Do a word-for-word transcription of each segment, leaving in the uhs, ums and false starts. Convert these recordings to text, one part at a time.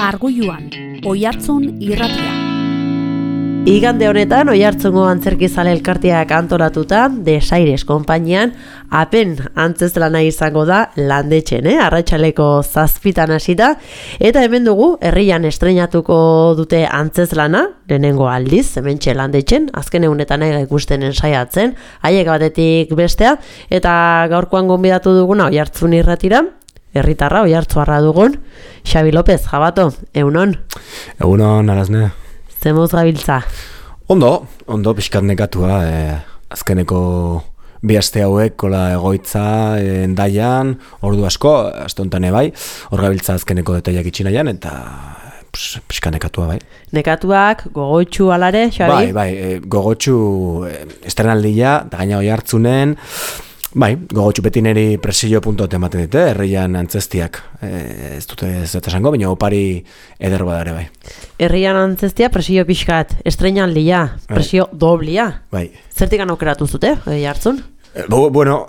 Margulluan, Oihartzun irratia. Igande honetan, Oihartzungo antzerkizale elkarteak antolatuta, Desaires konpainian, apen antzezlana izango da Landetxen, eh? Arratsaleko zazpitan hasita, eta hemen dugu, herrian estreinatuko dute antzezlana, lehenengo aldiz, hementxe Landetxen, azken egunetan ega ikusten ensaiatzen, haiek batetik bestea, eta gaurkoan gonbidatu duguna Oihartzun irratira, herritarra Oihartzuarra dugun, Xabi López, jabato, egunon? Egunon, arazne. Zemuz gabiltza? Ondo, ondo pixkat negatua, eh, azkeneko bi aste hauek, kola egoitza, eh, endaian, ordu asko, aste honetan bai, hor gabiltza azkeneko detaiak itxinaian, eta pues, pixkat negatua bai. Nekatuak, gogotxu alare, Xabi? Bai, bai, eh, gogotxu eh, estrenaldia, da gaina Oihartzunen, bai, gogotxu beti neri presio puntot ematen dute, herrian antzestiak, eh, ez dute ez dut esango, baina opari eder badare bai. Herrian antzestia presio pixkat, estrenaldia, presio bai. Doblia. Bai. Zertik aukeratu zute, Oihartzun? Eh, bueno,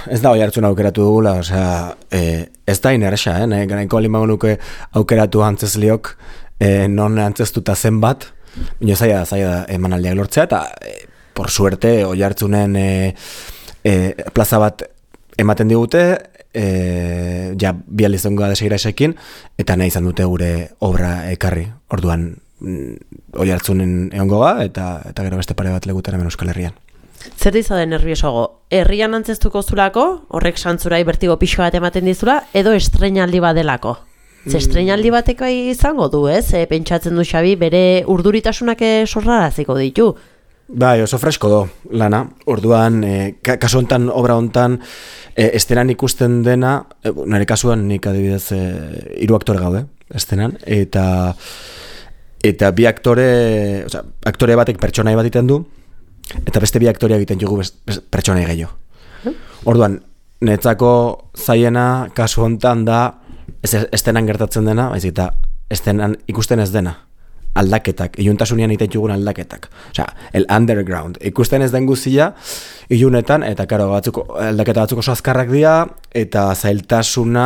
ez da Oihartzun aukeratu dugula, osea, eh, ez da inerxa, eh, nahi garaiko alima nuke aukeratu antzesliok, eh, non antzestuta zenbat, baina zaila da, zaila da emanaldiak lortzea, eta eh, por suerte Oihartzunen eh, E, plaza bat ematen digute, e, ja bi aldiz dongoa Desairaisekin, eta nahi izan dute gure obra ekarri. Orduan mm, Oihartzunen egongoa, eta eta gero beste pare bat legutera hemen Euskal Herrian. Zer dizade nerviosoago? Herrian antzestuko zulako, horrek santzurai bertigo pixka bat ematen dizula, edo estreinaldi badelako? Ze estreinaldi bateko izango du, ez? E, pentsatzen du Xabi, bere urduritasunak sorraraziko ditu. Bai, oso fresko do, lana. Orduan, e, kasu hontan, obra hontan, e, estenan ikusten dena, e, nire kasuan nik adibidez e, hiru aktore gaude, estenan, eta eta bi aktore, osea, aktore batek pertsonai bat egiten du, eta beste bi aktorea egiten jugu pertsonai gehiago. Orduan, netzako zaiena kasu hontan da, ez estenan gertatzen dena, baizik eta estenan ikusten ez dena. Aldaketak, iluntasunean egiten jugun aldaketak. Osea, el underground. Ikusten ez den guztia, ilunetan, eta karo, batzuk, aldaketa batzuk oso azkarrak dira, eta zailtasuna,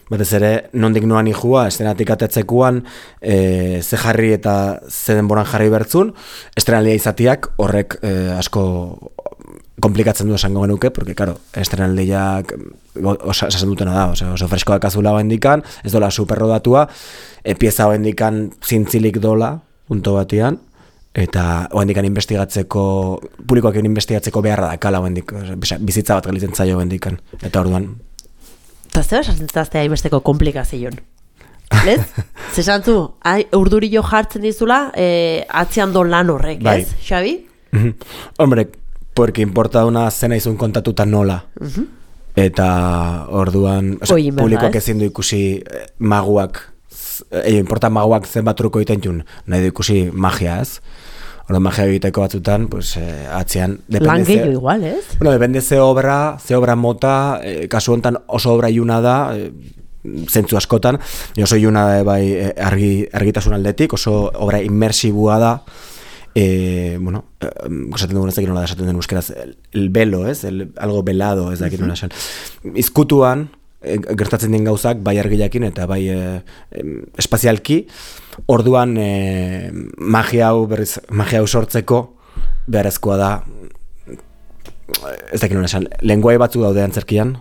batez ere, nondik noan ihua, estenatik atetzekuan, e, ze jarri eta ze denboran jarri bertzun, estrenalia izatiak horrek e, asko komplikatzen du esango genuke, porque, karo, estrenaldiak osasen dutena da, oso, oso freskoak azula bendikan, ez dola superrodatua, e, pieza bendikan zintzilik dola, punto batian, eta bendikan investigatzeko, publikoak investigatzeko beharra da, kala bendik, bizitza bat galitzen zaio bendikan, eta orduan. Eta zer esantzaztea hainbesteko komplikazioan? Lez? Zesantzu, urdurillo jartzen dizula, e, atzean do lan horrek, bai. Ez, Xabi? Hombre, porque importa una zena izun kontatuta nola. Uh-huh. Eta orduan, o sea, publikoak ezin du ikusi eh, maguak, eh, importa maguak zenbat truko egiten jun, nahi du ikusi magia, ez? Orduan magia egiteko batzutan, pues, eh, atzean... Lan gehiago igual, ez? Bueno, depende ze obra, ze obra mota, eh, kasu hontan oso obra iluna da, eh, zentzu askotan, oso iluna da bai eh, argi, argitasun aldetik, oso obra inmersibua da, Eh, bueno, esaten dugun ez dakit nola da esaten den euskeraz, el, el velo, ez? El, algo velado, ez dakit nola esan. Izkutuan, e, gertatzen den gauzak, bai argilakin eta bai e, e, espazialki, orduan e, magia hau berriz, magia hau sortzeko beharrezkoa da, ez dakit nola esan, lenguai batzu daude antzerkian,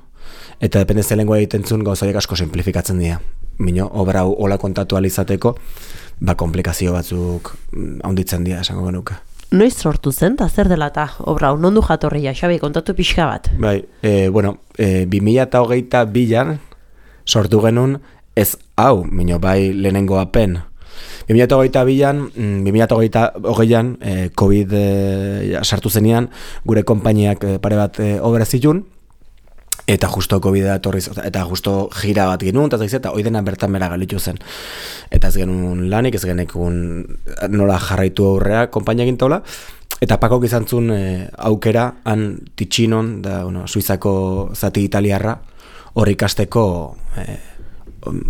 eta dependezia lenguai egiten zuen gauzaiek asko simplifikatzen dira. Mino, obra hau hola kontatu alizateko, ba, komplikazio batzuk handitzen dira, esango genuke. Noiz sortu zen, eta zer dela eta obra, nondu jatorria, Xabi, kontatu pixka bat? Bai, e, bueno, e, bi mila hogeita bian sortu genuen ez hau, mino, bai lehenengo apen. bi mila hogeita bian, bi mila hogeian, e, COVID e, sartu zenean, gure konpainiak e, pare bat e, obra zitun, eta justo COVID-a etorriz, eta justo gira bat genuen, eta hoi dena bertan bera galitu zen. Eta ez genuen lanik, ez genekun nola jarraitu aurrea konpainia gintola, eta pakok izan zuen e, aukera, han Ticcinon, da, bueno, Suizako zati italiarra, hori ikasteko, e,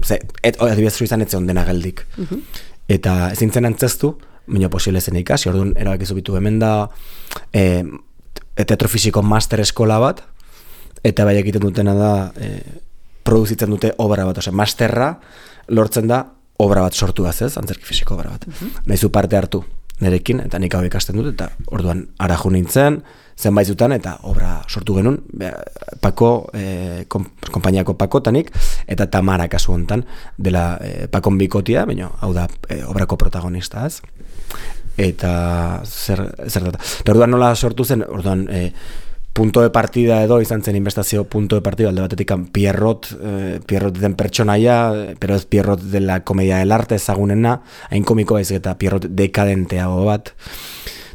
ze, et, adibidez Suizan etze ondena geldik. Uh-huh. Eta ezin zen antzestu, baina posible zen ikasi, orduan erabakizu bitu hemen da e, teatro fisiko master eskola bat, eta bai egiten dutena da e, produzitzen dute obra bat, osea, masterra lortzen da obra bat sortu gaz ez, antzerki fisiko obra bat. Uh-huh. Nahizu parte hartu nerekin, eta nik hau ikasten dut, eta orduan araju nintzen, zenbait zutan, eta obra sortu genuen, Pako, eh, konpainiako Pakotanik, eta Tamara kasu hontan, dela eh, Pakon bikotia, baina hau da eh, obrako protagonista, ez? Eta zer, zer data. Eta orduan nola sortu zen, orduan eh, punto de partida edo izan zen investizio punto de partida, alde batetik Pierrot, eh, Pierrot den pertsonaia, pero ez Pierrot de la comedia del arte ezagunena, hain komiko baizik eta Pierrot dekadenteago bat,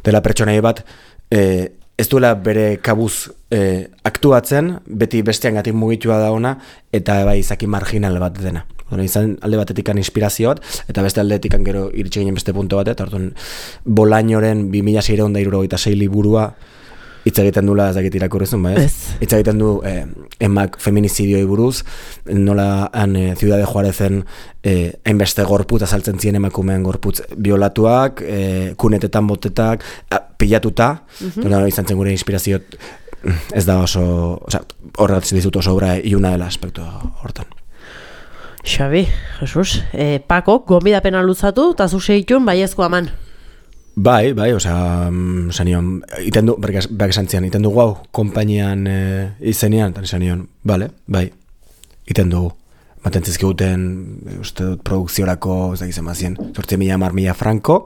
dela pertsonaia bat, eh, ez duela bere kabuz eh, aktuatzen, beti besteangatik mugitua da ona, eta bai izaki marginal bat dena. Bueno, izan alde batetikan inspirazio bat, eta beste aldetikan gero iritsi ginen beste punto bat, eta orduan Bolañoren bi mila seiehun eta hirurogeita sei liburua hitz egiten dula, ez dakit irakurrizun, ba ez? Hitz egiten du eh, emak feminizidioi buruz, nola han eh, Ciudad de Juarezen eh, hainbeste gorputz azaltzen ziren emakumeen gorputz biolatuak, eh, kunetetan botetak, a, pilatuta, uh-huh. Nola izan zen gure inspirazio, ez da oso, oza, horregatzen dizut oso obra iuna dela aspektu hortan. Xabi, Jesus, eh, Pako, gonbidapena luzatu, eta zu segitun baiezko aman. Bai, bai, osea, zanion, iten du, berk esan zian, iten du guau, konpainian e, izenean, eta esan nion, bale, bai, iten dugu. Maten zizkiguten, uste dut, produkziorako, ez da gizema zien, sortzi mila mar mila franko,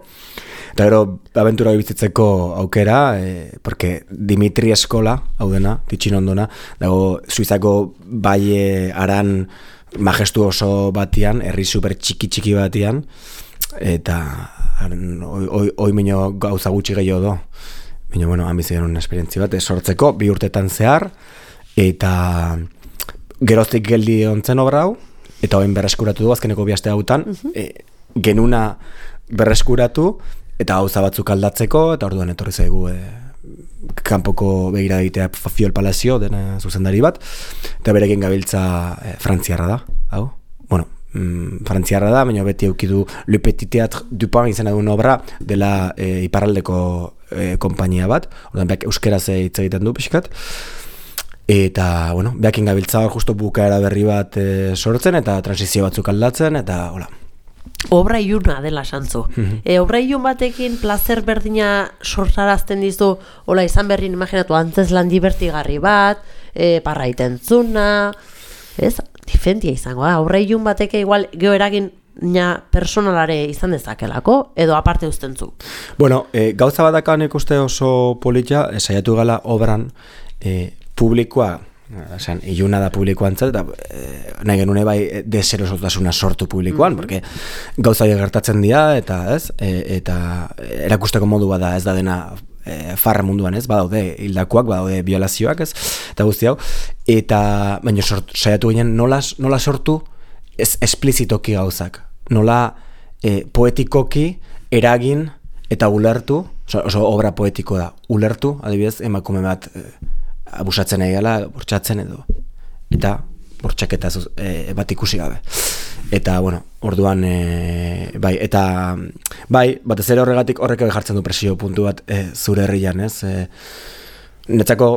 eta gero, abentura bizitzeko aukera, e, porque Dimitri Eskola, hau dena, titxin ondona, dago, Suizako baie aran majestuoso batian, herri super txiki txiki batian, eta Hoi, hoi mino gauza gutxi gehiago do. Mino, bueno, han bizi genuen esperientzi bat, sortzeko, bi urtetan zehar, eta geroztik geldi ontzen obra hau, eta hoin berreskuratu du, azkeneko bihaste hautan, uh-huh. e, genuna berreskuratu, eta gauza batzuk aldatzeko, eta orduan etorri zaigu e, kanpoko begira egitea Fiol Palazio, dena zuzendari bat, eta berekin gabiltza e, frantziarra da, hau, bueno, Mm, frantziarra da, baina beti eukidu Le Petit Théâtre du Pan izena duen obra dela e, iparraldeko e, konpainia bat, ordan beak euskeraz hitz egiten du pixkat, eta, bueno, beakin gabiltza hor justo bukaera berri bat e, sortzen, eta transizio batzuk aldatzen, eta, hola. Obra iluna dela santzu. Mm-hmm. E, obra ilun batekin placer berdina sortarazten dizu, hola izan berrin imaginatu antzeslan divertigarri bat, e, parraiten zuna, ez? Difentia izango da, aurre ilun bateke igual geho eragin personalare izan dezakelako, edo aparte ustentzu. Bueno, e, gauza badakan ikuste oso politia, e, saiatu gala obran e, publikoa, esan, iluna da publikoan zet, eta e, nahi genune bai deserosotasuna sortu publikoan, mm-hmm. porque gauza gertatzen dira, eta ez, e, eta erakusteko modu bada ez da dena e, farra munduan ez, badaude hildakoak, badaude violazioak ez, eta guzti hau, eta baina sort, saiatu ginen nola, nola sortu ez esplizitoki gauzak, nola e, poetikoki eragin eta ulertu, oso, oso obra poetiko da, ulertu, adibidez, emakume bat e, abusatzen egala, bortxatzen edo, eta bortxaketa e, bat ikusi gabe. Eta, bueno, orduan, e, bai, eta, bai, batez ere horregatik horrek jartzen du presio puntu bat e, zure herrian, ez? E, netzako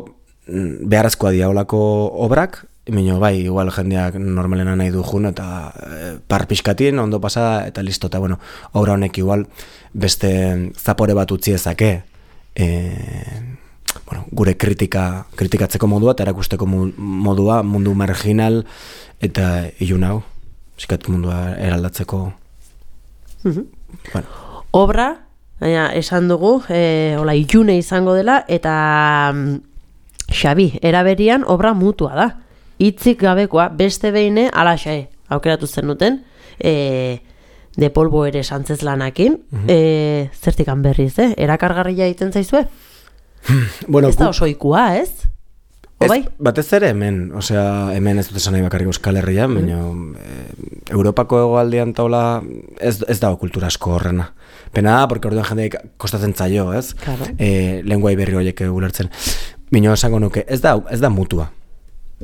beharrezkoa diaolako obrak, mino, bai, igual jendeak normalena nahi du jun, eta e, par pixkatin, ondo pasada, eta listo, eta, bueno, obra honek igual beste zapore bat utzi ezake, e, bueno, gure kritika, kritikatzeko modua, eta erakusteko modua, mundu marginal, eta ilun hau. Zikat mundua eraldatzeko. Mm-hmm. Bueno. Obra, baina esan dugu, e, hola, ilune izango dela, eta mm, Xabi, eraberian obra mutua da. Hitzik gabekoa, beste behin alaxe aukeratu zen duten, e, de polvo ere santzezlanakin, mm-hmm. e, zertikan berriz, eh? Erakargarria egiten zaizue? Bueno, ez da oso ikua, ez? Ez, batez ere hemen, osea, hemen ez dut esan nahi bakarrik Euskal Herrian, baina e, Europako hegoaldean taula ez, ez dago kultura asko horrena. Pena da, porque orduan jendeik kostatzen zaio, ez? Claro. E, lenguai berri horiek ulertzen. Baina esango nuke, ez da, ez da mutua.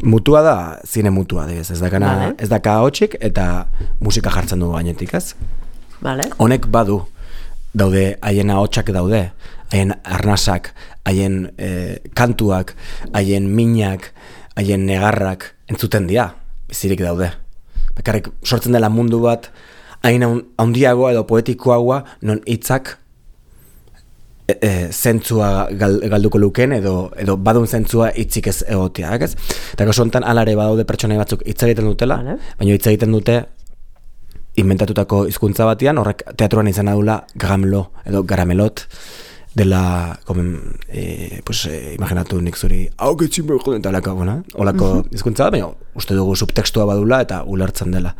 Mutua da, zine mutua, ez, ez da kana, vale. Ez da kaotxik eta musika jartzen du gainetik, ez? Vale. Honek badu, daude, haien ahotsak daude, haien arnasak, haien e, kantuak, haien minak, haien negarrak entzuten dira, bizirik daude. Bekarrik sortzen dela mundu bat hain handiagoa edo poetikoagoa non hitzak e, e, zentzua gal, galduko luken edo edo badun zentzua hitzik ez egotea, ez? Eta kasu honetan alare badaude pertsonai batzuk hitz egiten dutela, vale. Baina hitz egiten dute inventatutako hizkuntza batean, horrek teatruan izan dula gramlo edo garamelot dela, komen, e, pues, e, imaginatu nik zuri hau getxin behar joden, eta olako, bueno, olako hizkuntza, baina uste dugu subtextua badula eta ulertzen dela.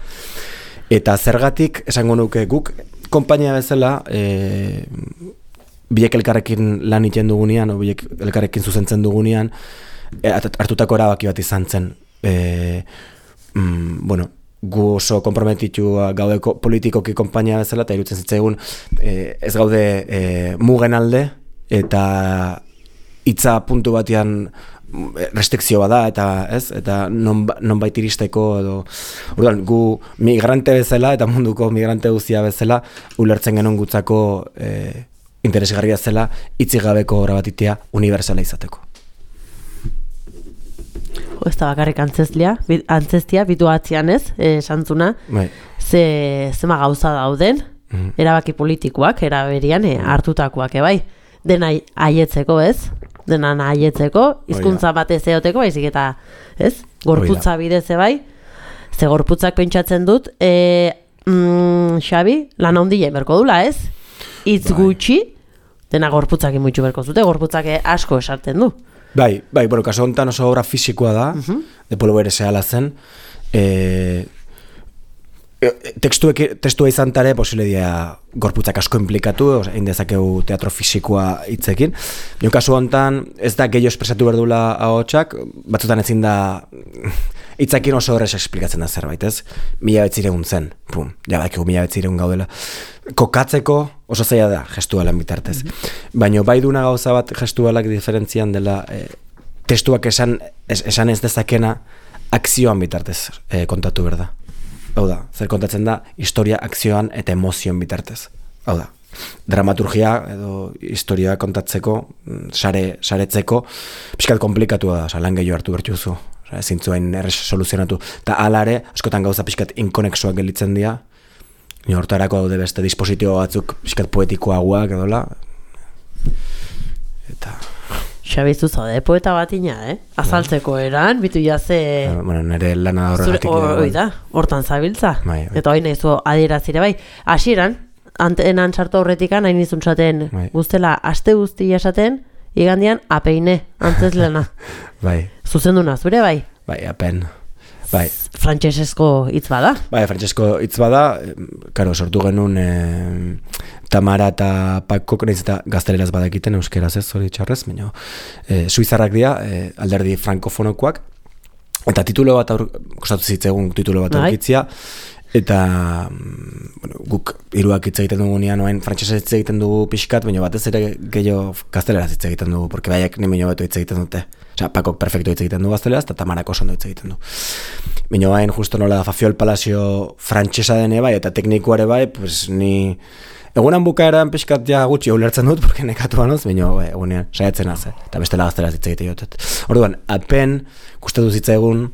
Eta zergatik, esango nuke guk, konpainia bezala, e, biek elkarrekin lan iten dugunean, o biek elkarrekin zuzentzen dugunean, e, hartutako erabaki bat izan zen, e, mm, bueno, gu oso konprometitua gaudeko politikoki konpainia bezala, eta irutzen zitzaigun e, ez gaude e, mugen alde, eta hitza puntu batean restrikzio bada, eta ez, eta non, nonbait iristeko, edo, orduan, gu migrante bezala, eta munduko migrante guztia bezala, ulertzen genuen gutzako e, interesgarria zela hitzik gabeko obra bat itea unibertsala izateko. Ez da bakarrik antzestia, antzestia bitu atzian ez, esantzuna, bai. ze, zema gauza dauden, mm. erabaki politikoak, eraberian e, hartutakoak, e, bai, dena aietzeko ez, dena aietzeko, hizkuntza batez eoteko, baizik eta, ez, gorputza bidez bai, ze gorputzak pentsatzen dut, e, mm, Xabi, lan handia berko dula ez, hitz gutxi, dena gorputzak imutxu berko zute, gorputzak asko esarten du. Bai, bai, bueno, kaso honetan oso obra fisikoa da, uh-huh. de Polo bere zehala zen, e, Tekstua, testua izan tare, posile dia gorputzak asko implikatu, egin dezakegu teatro fisikoa hitzekin. Bion kasu honetan, ez da gehiago espresatu berdula ahotsak, batzutan ezin da hitzakin oso horrez esplikatzen da zerbait, ez? Mila betziregun zen, pum, ja bakigu mila betziregun gaudela. Kokatzeko oso zaila da gestualan bitartez. Mm-hmm. Baina bai duna gauza bat gestualak diferentzian dela, eh, testuak esan, es, esan ez dezakena akzioan bitartez eh, kontatu berda. Hau da, zer kontatzen da, historia, akzioan eta emozioan bitartez. Hau da, dramaturgia edo historia kontatzeko, sare, saretzeko, pixkat komplikatua da, lan gehiago hartu bertxuzu, ezin zuen errez soluzionatu. Eta alare, askotan gauza pixkat inkonexoak gelitzen dira, hortarako daude beste dispositibo batzuk pixkat poetikoagoak edola. Eta... Xabizu zaude, poeta bat ina, eh? Azaltzeko eran, bitu jaze... Bueno, nire lana horregatik... Hoi da, hortan zabiltza. Bai, bai. Eta hoi nahi zu adierazire bai. Hasieran, antenan sartu horretikan, hain izun zaten bai. Guztela, aste guzti esaten, igandian apeine, antzez lana. Bai. Zuzenduna, zure bai? Bai, apen. Bai. Frantsesesko hitz bada? Bai, frantsesko hitz bada, karo, sortu genuen eh, Tamara eta Pakok, nahiz eta gazteleraz badakiten, euskeraz ez, hori txarrez, baina eh, suizarrak dira, eh, alderdi frankofonokoak, eta titulo bat, aur, kostatu zitzegun titulo bat aurkitzia, eta bueno, guk hiruak hitz egiten dugu nian, oain frantsesez hitz egiten dugu pixkat, baina batez ere gehiago gazteleraz hitz egiten dugu, porque baiak ni baino beto hitz egiten dute. Osea, Pakok perfecto hitz egiten du gazteleraz, eta Tamarak oso ondo hitz egiten du. Baina hain justo nola Fafiol Palazio frantsesa dene bai, eta teknikoare bai, pues ni... Egunan bukaeran pixkat ja gutxi ulertzen dut, porque nekatu banoz, baina egunean saiatzen az, eta bestela gazteleraz hitz egite jotet. Orduan, apen, gustatu zitzaigun,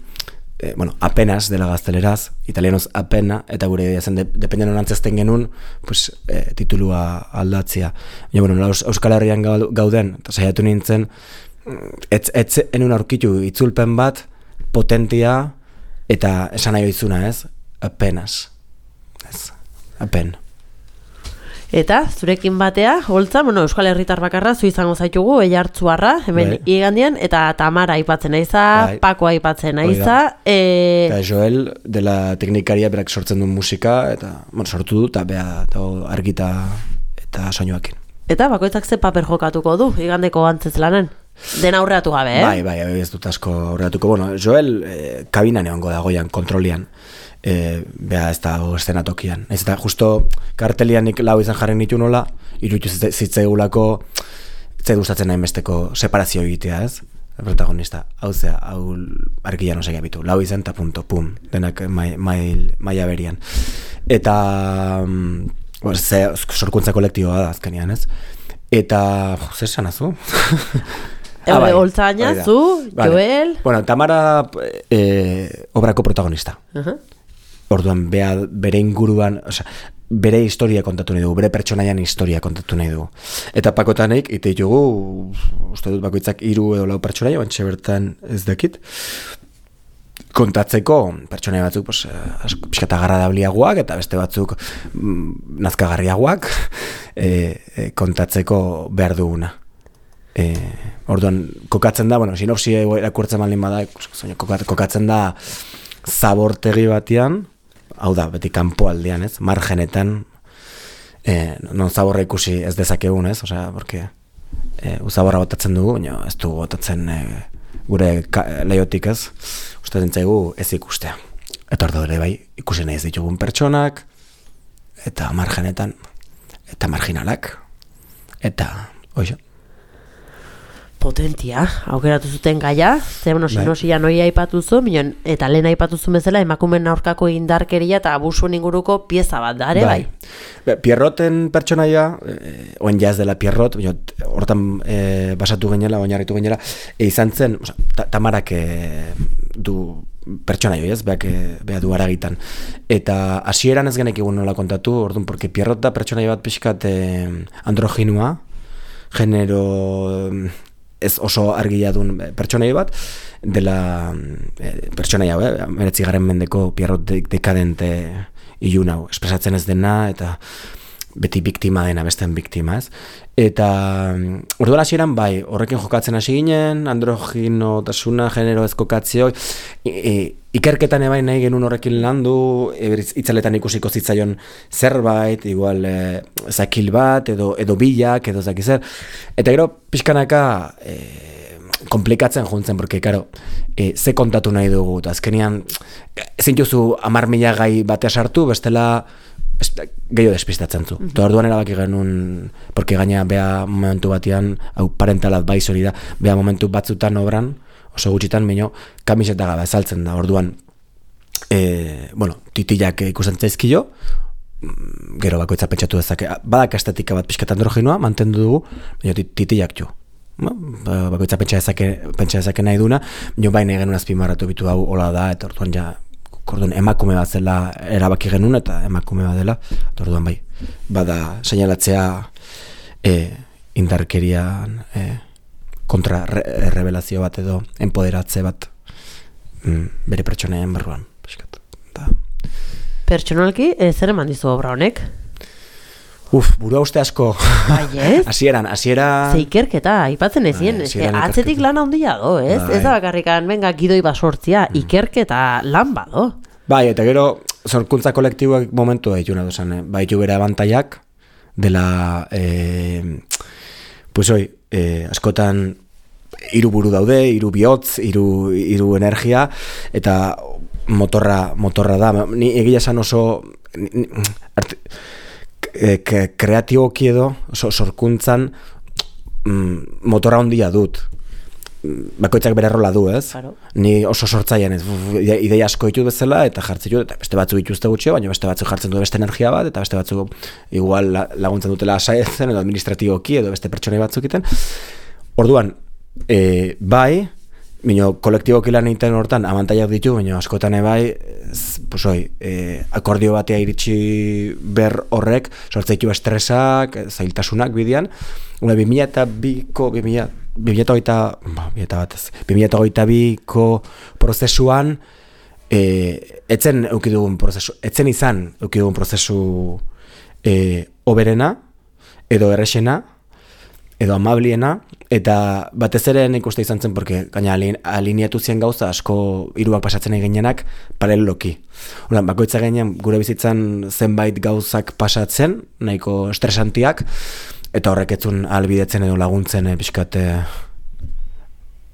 eh, bueno, apenas dela gazteleraz, italianoz apena, eta gure idea zen, de, dependen hon antzezten genuen, pues, eh, titulua aldatzia. Baina, bueno, Euskal Herrian gauden, eta saiatu nintzen, etz, etz enun aurkitu itzulpen bat, potentia, eta esan nahi oizuna, ez? Apenas. Ez, apen. Eta, zurekin batea, holtza, bueno, Euskal Herritar bakarra, zu izango zaitugu, Eiartzuarra, hemen bai. Igandian, eta Tamara aipatzen aiza, bai. Pako aipatzen aiza. E... Eta Joel, dela teknikaria, berak sortzen duen musika, eta, bueno, sortu du, eta beha, eta argita, eta soinuakin. Eta, bakoitzak ze paper jokatuko du, igandeko antzez lanen? Den aurreatu gabe, eh? Bai, bai, ez dut asko aurreatuko. Bueno, Joel, eh, kabinan egongo dagoian, kontrolian. E, beha ez da eszenatokian. Ez eta justo kartelian nik lau izan jarren nitu nola, irutu zitzaigulako zait gustatzen nahi besteko separazio egitea, ez? Protagonista, hau zea, hau argian osek abitu. Lau izan eta punto, pum, denak maila mai, mai berian. Eta bueno, ze, sorkuntza kolektiboa da azkenean, ez? Eta, zer esan azu? Ah, bai, Oltzaina, zu, vale. Joel... Bueno, Tamara eh, obrako protagonista. Uh-huh. orduan bea, bere inguruan, osea, bere historia kontatu nahi dugu, bere pertsonaian historia kontatu nahi dugu. Eta pakotanek, ite ditugu, uste dut bakoitzak hiru edo lau pertsonaia, bantxe bertan ez dakit, kontatzeko pertsonaia batzuk pues, pixkata agradabliagoak eta beste batzuk mm, nazkagarriagoak e, e, kontatzeko behar duguna. E, orduan, kokatzen da, bueno, sinopsia erakurtzen malin bada, kokatzen da zabortegi batean, hau da, beti kanpo aldean, ez? Margenetan, eh, non zaborra ikusi ez dezakegun, ez? Osea, porque eh, uzaborra botatzen dugu, baina ez dugu botatzen eh, gure leiotik, ez? Uste dintzaigu ez ikustea. Eta ordo ere bai, ikusi nahi ez ditugun pertsonak, eta margenetan, eta marginalak, eta, oizo. Potentia, aukeratu zuten gaia, ze bueno, sinosia noi aipatu zu, minon, eta lehen aipatu zu bezala emakumeen aurkako indarkeria eta abusuen inguruko pieza bat da, ere bai? bai. Pierroten pertsonaia, eh, oen jaz dela Pierrot, hortan eh, basatu gainela, oinarritu gainela, e, izan zen, oza, ta, Tamarak eh, du pertsonaio, ez, beak, beak du aragitan. Eta hasieran ez genek egun nola kontatu, orduan, porque Pierrot da pertsonaia bat pixkat eh, androginua, genero ez oso argia duen pertsonaia bat, dela eh, pertsonaia, eh, meretzi garen mendeko Pierrot de, dekadente ilun hau, espresatzen ez dena, eta beti biktima dena, besten biktima, ez? Eta orduan hasieran bai, horrekin jokatzen hasi ginen, androgino, tasuna, genero ez kokatzio, ikerketan ebai nahi genuen horrekin landu, itzaletan ikusiko zitzaion zerbait, igual e, zakil bat, edo, edo bilak, edo zakizer. Eta gero, pixkanaka, e, komplikatzen juntzen, porque, karo, e, ze kontatu nahi dugu, eta azkenian, zintuzu amar mila gai batea sartu, bestela, gehiago despistatzen zu. Mm-hmm. Orduan erabaki genuen, porque gaina bea momentu batean, hau parentalat bai hori da, bea momentu batzutan obran, oso gutxitan, baino, kamiseta gabe azaltzen da. Orduan, e, bueno, titilak ikusten zaizkio, gero bakoitza pentsatu dezake, badak estetika bat pixkat androginoa, mantendu dugu, baina titilak jo. Bakoitza pentsa dezake, pentsa dezake nahi duna, baina baina genuen azpimarratu bitu hau hola da, eta orduan ja, Orduan, emakume bat zela erabaki genuen eta emakume bat dela, orduan bai, bada seinalatzea e, indarkerian e, kontra re, revelazio bat edo enpoderatze bat mm, bere pertsonaien barruan. Da. Pertsonalki, e, zer eman dizu obra honek? Uf, burua uste asko. Bai, ez? Hasieran, hasiera... Zeikerketa, aipatzen ezien, bai, atzetik lan handia do, ez? Bai. Ez da bakarrikan, venga, gidoi basortzia, mm. ikerketa lan bado. Bai, eta gero, sorkuntza kolektiboak momentu da dituna duzan, eh? Baitu bere abantaiak, dela, eh, pues hoi, eh, askotan, hiru buru daude, hiru bihotz, hiru hiru energia, eta motorra, motorra da. Ni egia esan oso... Ni, arte, kreatiboki edo, sorkuntzan mm, motora handia dut. Bakoitzak bere rola du, ez? Claro. Ni oso sortzaian ez, ideia asko ditut bezala, eta jartzen dut, eta beste batzuk dituzte gutxio, baina beste batzuk jartzen du beste energia bat, eta beste batzuk igual laguntzen dutela asaetzen, edo administratiboki, edo beste pertsonei batzuk iten. Orduan, e, bai, Bino, kolektiboki lan egiten hortan abantaiak ditu, baina askotan ebai, pues hoi, e, akordio batea iritsi ber horrek, sortzeitu estresak, zailtasunak bidean, una bi mila eta biko, bi mila eta hogeita biko prozesuan, e, etzen eukidugun prozesu, etzen izan eukidugun prozesu e, oberena, edo errexena, edo amabliena, eta batez ere nik uste izan zen, porque gaina alineatu zien gauza asko hiruak pasatzen eginenak paraleloki. Horan, bakoitza gainean gure bizitzan zenbait gauzak pasatzen, nahiko estresantiak, eta horrek etzun ahalbidetzen edo laguntzen e, pixkat e,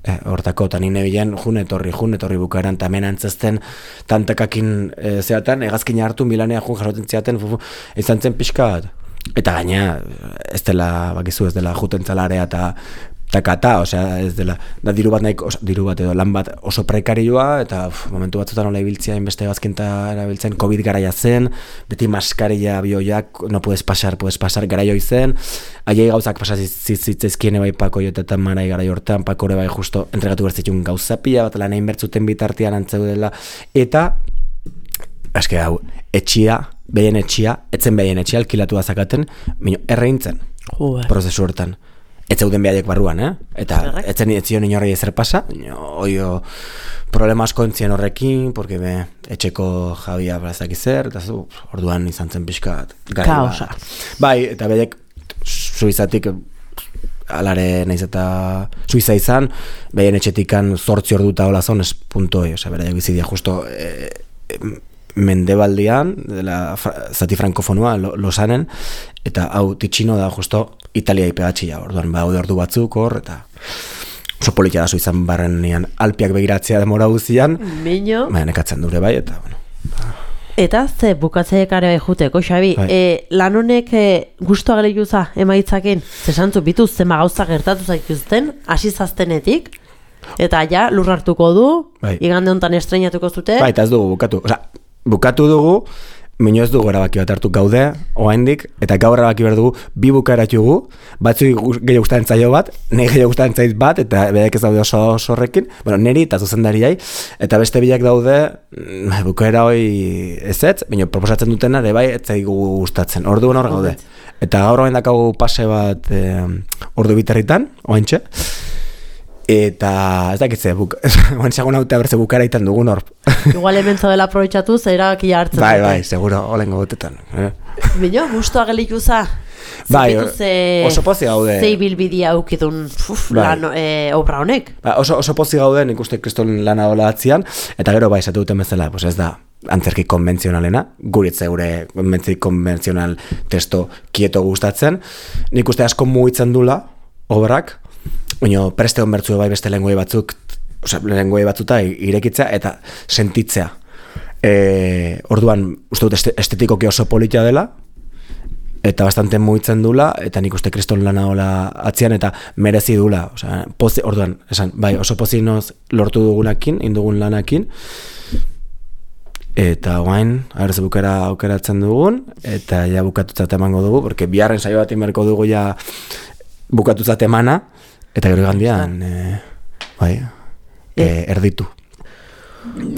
e, hortako, eta nire bilen jun etorri, jun etorri bukaeran, eta hemen antzezten tantakakin e, zeatan, egazkina hartu milanea jun jasoten zeaten, izan zen pixkat. Eta gaina, ez dela, bakizu, ez dela juten zalarea eta takata, osea, ez dela, da diru bat nahiko, diru bat edo lan bat oso prekarioa, eta uf, momentu batzutan nola ibiltzea, inbeste gazkinta erabiltzen, COVID garaia zen, beti maskarilla bioiak, no puedes pasar, puedes pasar, garaio izen, aiei gauzak pasazitzezkien ebai pako jotetan marai gara jortan, pako ere bai justo entregatu bertzitun gauzapia, bat lan egin bertzuten bitartian antzeudela, eta eske hau, etxia, behien etxia, etzen behien etxia, alkilatu azakaten, mino, erreintzen, prozesu hortan. Ez zeuden behaiek barruan, eh? Eta etzen etzion inorri ezer pasa, oio problema asko entzien horrekin, porque be, etxeko jabia bazak izer, eta zu, orduan izan zen pixkat gari bat. Bai, eta behaiek Suizatik alare naiz eta Suiza izan, behien etxetikan zortzi orduta hola zon, ez puntoi, oza, bera bizidia justo e, mendebaldian, dela zati frankofonua, lo, losanen, eta hau titxino da justo Italia ipegatxia, orduan ba, ordu batzuk hor, eta oso politia da Suizan barrenean alpiak begiratzea demora guzian, Mino. Baina nekatzen dure bai, eta bueno. Ba. Eta ze bukatzeek are juteko, Xabi, Bai. e, lan honek e, gustu ageleguza emaitzaken, ze santzu bituz zema gauza gertatu zaituzten, hasi zaztenetik, eta ja lur hartuko du, Bai. igande hontan estreinatuko zute. Bai, eta ez dugu bukatu, oza, bukatu dugu, mino ez dugu erabaki bat hartu gaude, oaindik, eta gaur erabaki behar dugu, bi bukaeratugu, batzu gehiago gustatzen zaio bat, nire gehiago gustatzen zait bat, eta bedeak ez daude oso horrekin, bueno, niri eta zuzendariai, eta beste bilak daude, bukaera hoi ezetz, baina proposatzen dutena, ere bai, ez zaigu gustatzen, orduan hor gaude. Eta gaur oain dakagu pase bat eh, ordu biterritan, oaintxe, eta ez dakitze, buk, oain segun haute abertze bukaera itan dugun hor. Igual hemen zaudela aprobetxatu, zera hartzen Bai, dute. bai, seguro, olengo gotetan. Eh? Bino, gustu agelikuza. Bai, ze, oso pozi gaude. Ze ibilbidia aukidun uf, Bai. lan e, obra honek. Ba, oso, oso pozi gaude, nik uste kriston lana dola atzian, eta gero bai, esatu duten bezala, pues ez da, antzerki konbentzionalena, guritze gure antzerki konbentzional testo kieto gustatzen, nik uste asko mugitzen dula, obrak, baina preste hon bertzu bai beste lengoi batzuk, osea, lengoi batzuta irekitzea eta sentitzea. E, orduan, uste dut este, estetikoki oso politia dela, eta bastante mugitzen dula, eta nik uste kriston lana hola atzian, eta merezi dula. Osea, pozi, orduan, esan, bai, oso pozinoz lortu dugunakin, indugun lanakin, eta guain, agerze bukera aukeratzen dugun, eta ja bukatutzat emango dugu, porque biharren saio bat inberko dugu ja bukatutzat emana, eta gero gandian, e, bai, e, erditu.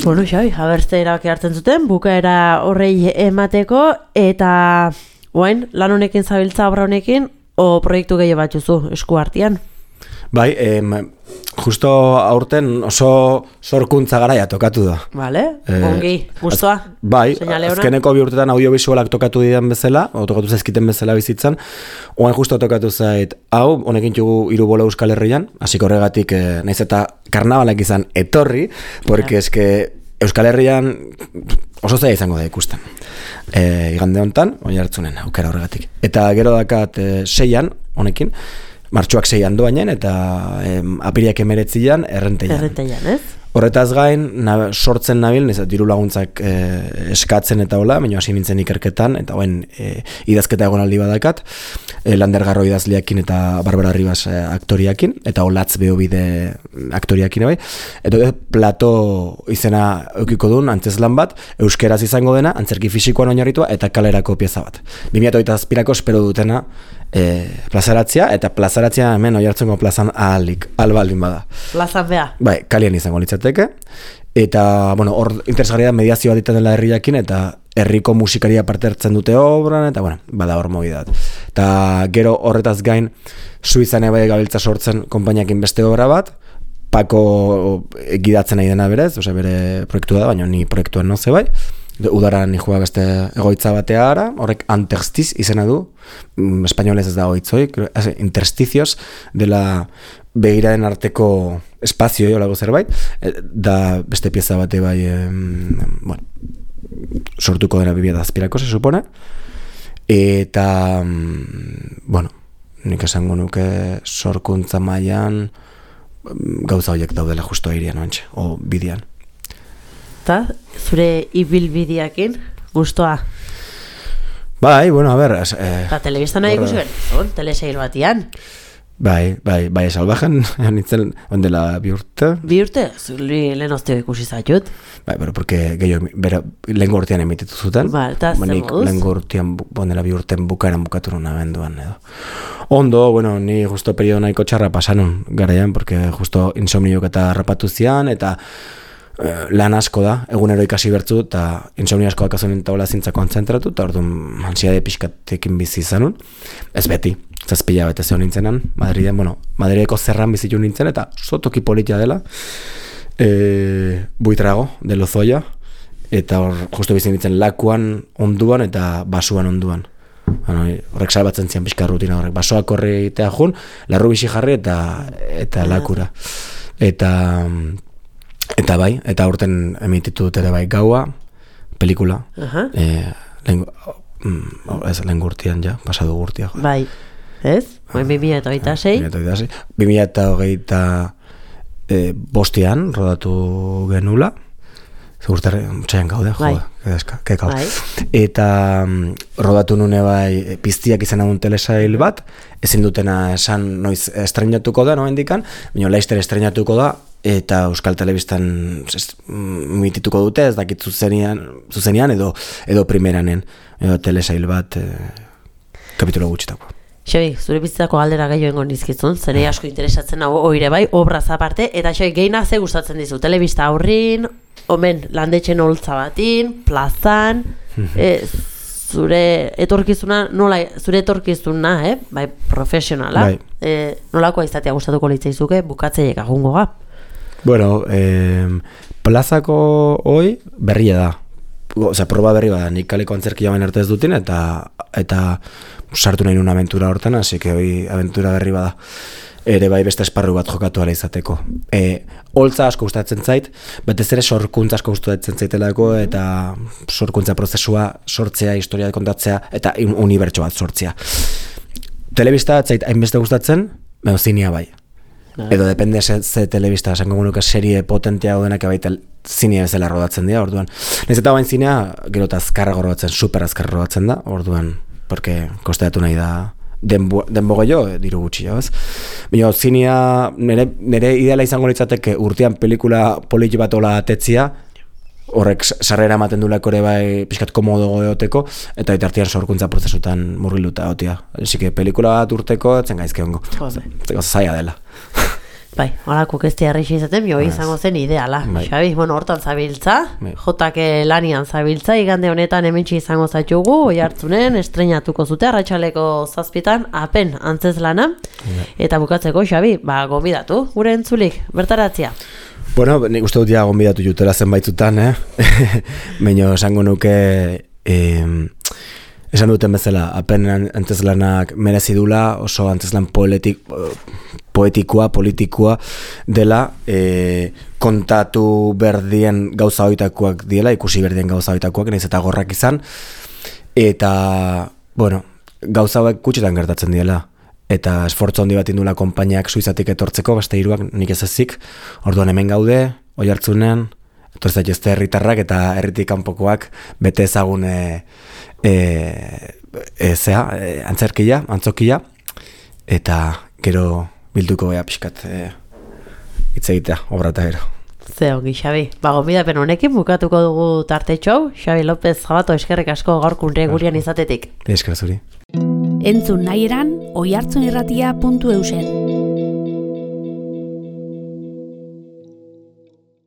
Bueno, Xabi, abertze erabaki hartzen zuten, bukaera horrei emateko, eta guain, lan honekin zabiltza obra honekin, o proiektu gehiago batzuzu esku artean? Bai, em, justo aurten oso sorkuntza garaia tokatu da. Vale, Eh, ongi, gustoa. Bai, Seinale ona. azkeneko bi urtetan audiovisualak tokatu didan bezala, o tokatu zaizkiten bezala bizitzan, oain justo tokatu zait, hau, honekin txugu hiru bola Euskal Herrian, hasiko horregatik, eh, naiz eta karnabalak izan etorri, porque Ja. eske Euskal Herrian oso zaila izango da ikusten. E, igande hontan, oi hartzunen, aukera horregatik. Eta gero dakat e, seian, honekin, martxoak seian doainen, eta em, apiriak emeretzian, errenteian. Errenteian, ez? Horretaz gain, na, sortzen nabil, nizat, diru laguntzak e, eskatzen eta hola, baina hasi nintzen ikerketan, eta hoen e, idazketa egonaldi badakat, e, Lander Garro idazliakin eta Barbara Ribas e, aktoriakin, eta Olatz Beobide aktoriakin bai, eta plato izena eukiko duen antzeslan bat, euskeraz izango dena, antzerki fisikoan oinarritua, eta kalerako pieza bat. bi mila hogeita zazpirako espero dutena e, plazaratzea, eta plazaratzea hemen oihartzungo plazan ahalik, albaldin bada. Plazan bea. Bai, kalian izango litzateke, eta, bueno, hor interesgarria da mediazioa ditan dela herriakin, eta herriko musikaria parte hartzen dute obran, eta, bueno, bada hor mobidat. Eta gero horretaz gain, Suizan bai gabiltza sortzen konpainiakin beste obra bat, Pako gidatzen nahi dena berez, osea bere proiektua da, baina ni proiektuan no ze bai, udara ni joa beste egoitza batea ara, horrek Anterstiz izena du, mm, espainolez ez da oitzoi, intersticios dela begiraren arteko espazio jolago zerbait, da beste pieza bate bai, em, bueno, sortuko dena bibia da azpirako, se supone, eta, bueno, nik esango nuke sorkuntza mailan gauza horiek daudela justo airian oantxe, o bidian. Eta, zure ibilbideakin, gustoa. Bai, bueno, a ber... Eh, Eta telebistan nahi ikusi behar, teleseil batian. Bai, bai, bai, salvajen, nintzen, ondela bi urte. Bi urte, zuri lehen osteo ikusi zaitut. Bai, pero porque gehiago, bera, lehen gortean emititu zuten. Ba, eta zer moduz? Lehen gortean, ondela bi urten bukaeran bukatu nuna benduan, edo. Ondo, bueno, ni justo periodo nahiko txarra pasanun garaian, porque justo insomniok eta rapatu zian, eta lan asko da, egunero ikasi bertzu, eta insomnia asko dakazunen taula zintza kontzentratu, eta orduan ansiade pixkatekin bizi izanun. Ez beti, zazpila bete zeo nintzenan, Madriden, bueno, Madrideko zerran bizitu nintzen, eta sotoki politia dela, e, Buitrago, de Lozoya, eta hor, justu bizi nintzen lakuan onduan eta basuan onduan. Bueno, horrek salbatzen zian pixka rutina horrek. Basoak horre egitea jun, larru bixi jarri eta, eta lakura. Eta... Eta bai, eta urten emititu dut ere bai gaua, pelikula, uh-huh. e, lehen, ez lehen gurtian ja, pasadu gurtia. Jo. Bai, ez? Bain bi mila eta hogeita sei? bi mila eta hogeita e, bostian rodatu genula, zurterre, txaian gaude, jo, kekau. Bai. Eta um, rodatu nune bai piztiak izan agun telesail bat, ezin dutena esan noiz estrenatuko da, noen dikan, baina Laster estrenatuko da, eta Euskal Telebistan mitituko dute, ez dakit zuzenian, zuzenian edo, edo primeranen, edo telesail bat e, kapitulo gutxitako. Xabi, zure bizitzako galdera gehiago engon nizkizun, zene asko interesatzen hau oire bai, obraz aparte, eta Xabi, gehiena ze gustatzen dizu, telebista aurrin, omen, landetxen holtza batin, plazan, e, zure etorkizuna, nola, zure etorkizuna, eh? Bai, profesionala, bai. E, nolakoa izatea gustatuko litzaizuke, bukatzeiek agungo ga? Bueno, eh, plazako hoi berria da. Osea, proba berri bada, nik kaleko antzerkia bain arte ez dutin, eta eta sartu nahi nun aventura hortan, hasi que hoi aventura berri bada. Ere bai beste esparru bat jokatu ala izateko. E, holtza asko gustatzen zait, batez ere sorkuntza asko gustatzen zaitelako, eta sorkuntza prozesua sortzea, historia kontatzea, eta unibertso bat sortzea. Telebista zait hainbeste gustatzen, baina zinia bai. Edo depende ze, ze telebista, esango gunuke serie potentea denak baita zinea bezala rodatzen dira, orduan. Nez eta bain zinea, gero eta azkarra rodatzen, super azkarra rodatzen da, orduan, porque kosteatu nahi da denbo, denbo gehiago, diru gutxi, ez? Baina zinea, nire, nire ideala izango litzateke urtean pelikula politi bat ola atetzia, horrek sarrera ematen duleko ere bai pixkat komodo goeoteko, eta itartian sorkuntza prozesutan murgiluta otia. Así que pelikula bat urteko, etzen gaizke hongo. Zeko zaila dela. Bai, horako kestia errexi izaten, jo izango zen ideala. Bai. Xabi, bueno, hortan zabiltza, bai. Jotake lanian zabiltza, igande honetan hementsi izango zaitugu, oi hartzunen, estrenatuko zute, arratsaleko zazpitan, apen antzez lana, bai. Eta bukatzeko, Xabi, ba, gonbidatu, gure entzulik, bertaratzia. Bueno, nik uste dut ja gonbidatu jutela zenbaitzutan, eh? Baina esango nuke, eh, esan duten bezala, apen antzeslanak merezi dula, oso antzeslan poetik, poetikoa, politikoa dela, e, kontatu berdien gauza hoitakoak diela, ikusi berdien gauza hoitakoak, nahiz eta gorrak izan, eta, bueno, gauza hauek gutxitan gertatzen diela, eta esfortzu handi bat indula konpainiak Suizatik etortzeko, beste hiruak nik ez ezik, orduan hemen gaude, oi hartzunen, etortzat jazte herritarrak eta herritik kanpokoak bete ezagun e, e, e, zea, e, antzerkia, antzokia, eta gero bilduko bea pixkat e, hitz egitea, obra eta gero. Ze ongi, Xabi. Ba, gonbidapen honekin bukatuko dugu tartetxo. Xabi López Jabato, eskerrik asko gaurkunre gurian izatetik. Esker zuri. Entzun nahi eran, oihartzunirratia puntu eusen.